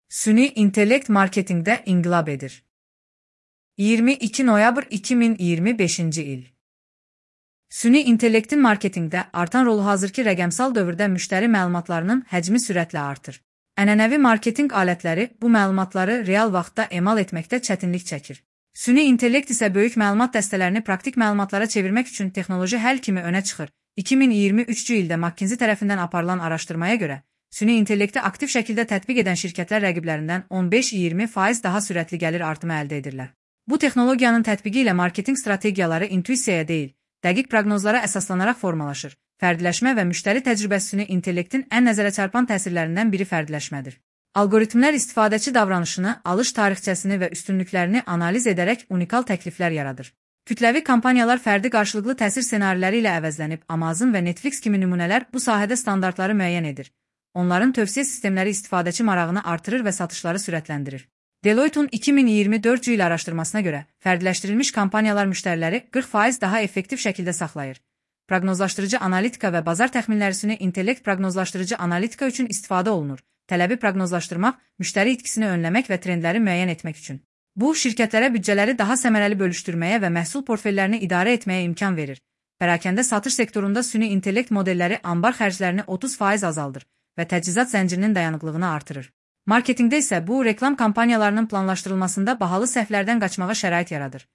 Süni intellekt marketingdə inqilab edir. 22 noyabr 2025-ci il. Süni intellektin marketingdə artan rolu hazırki rəqəmsal dövrdə müştəri məlumatlarının həcmi sürətlə artır. Ənənəvi marketinq alətləri bu məlumatları real vaxtda emal etməkdə çətinlik çəkir. Süni intellekt isə böyük məlumat dəstələrini praktik məlumatlara çevirmək üçün texnoloji həll kimi önə çıxır. 2023-cü ildə McKinsey tərəfindən aparılan araşdırmaya görə, süni intellekti aktiv şəkildə tətbiq edən şirkətlər rəqiblərindən 15-20% daha sürətli gəlir artımı əldə edirlər. Bu texnologiyanın tətbiqi ilə marketinq strategiyaları intuisiyaya deyil, dəqiq proqnozlara əsaslanaraq formalaşır. Fərdiləşmə və müştəri təcrübəsi süni intellektin ən nəzərə çarpan təsirlərindən biri fərdiləşmədir. Algoritmlər istifadəçi davranışını, alış tarixçəsini və üstünlüklərini analiz edərək unikal təkliflər yaradır. Kütləvi kampaniyalar fərdi qarşılıqlı təsir ssenariləri ilə əvəzlənib, Amazon və Netflix kimi nümunələr bu sahədə standartları müəyyən edir. Onların tövsiyə sistemləri istifadəçi marağını artırır və satışları sürətləndirir. Deloitte'un 2024-cü il araşdırmasına görə, fərdiləşdirilmiş kampaniyalar müştəriləri 40% daha effektiv şəkildə saxlayır. Proqnozlaşdırıcı analitika və bazar təxminləri süni intellekt proqnozlaşdırıcı analitika üçün istifadə olunur. Tələbi proqnozlaşdırmaq, müştəri itkisini önləmək və trendləri müəyyən etmək üçün. Bu, şirkətlərə büdcələri daha səmərəli bölüşdürməyə və məhsul portfellərini idarə etməyə imkan verir. Pərakəndə satış sektorunda süni intellekt modelləri anbar xərclərini 30% azaldır və təchizat zəncirinin dayanıqlığını artırır. Marketingdə isə bu, reklam kampaniyalarının planlaşdırılmasında bahalı səhvlərdən qaçmağa şərait yaradır.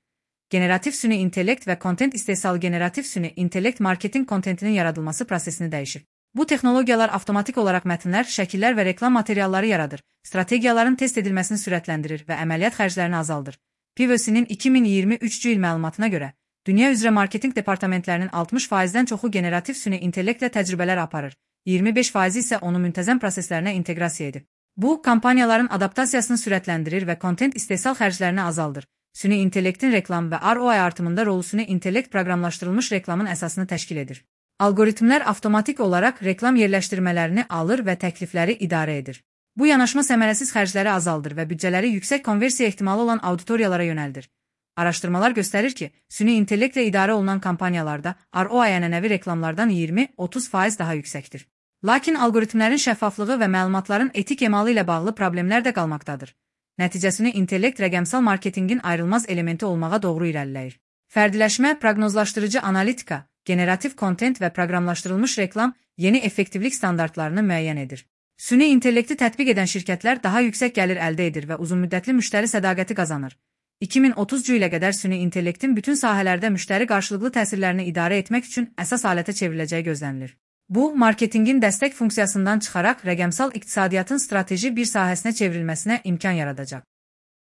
Generativ süni intellekt və kontent istehsalı generativ süni intellekt marketinq kontentinin yaradılması prosesini dəyişir. Bu texnologiyalar avtomatik olaraq mətnlər, şəkillər və reklam materialları yaradır, strategiyaların test edilməsini sürətləndirir və əməliyyat xərclərini azaldır. PwC'nin 2023-cü il məlumatına görə, dünya üzrə marketinq departamentlərinin 60%-dən çoxu generativ süni intellektlə təcrübələr aparır, 25% isə onu müntəzəm proseslərinə inteqrasiya edib. Bu, kampaniyaların adaptasiyasını sürətləndirir və kontent istehsal xərclərini azaldır. Süni intellektin reklam və ROI artımında rolu süni intellekt proqramlaşdırılmış reklamın əsasını təşkil edir. Algoritmlər avtomatik olaraq reklam yerləşdirmələrini alır və təklifləri idarə edir. Bu yanaşma səmərəsiz xərcləri azaldır və büdcələri yüksək konversiya ehtimalı olan auditoriyalara yönəldir. Araşdırmalar göstərir ki, süni intellektlə idarə olunan kampaniyalarda ROI ənənəvi reklamlardan 20-30% daha yüksəkdir. Lakin algoritmlərin şəffaflığı və məlumatların etik emalı ilə bağlı problemlər də qalmaqdadır. Nəticəsini intellekt rəqəmsal marketinqin ayrılmaz elementi olmağa doğru irəliləyir. Fərdiləşmə, proqnozlaşdırıcı analitika, generativ kontent və proqramlaşdırılmış reklam yeni effektivlik standartlarını müəyyən edir. Süni intellekti tətbiq edən şirkətlər daha yüksək gəlir əldə edir və uzunmüddətli müştəri sədaqəti qazanır. 2030-cu ilə qədər süni intellektin bütün sahələrdə müştəri qarşılıqlı təsirlərini idarə etmək üçün əsas alətə çevriləcəyi gözlənilir. Bu, marketinqin dəstək funksiyasından çıxaraq rəqəmsal iqtisadiyyatın strateji bir sahəsinə çevrilməsinə imkan yaradacaq.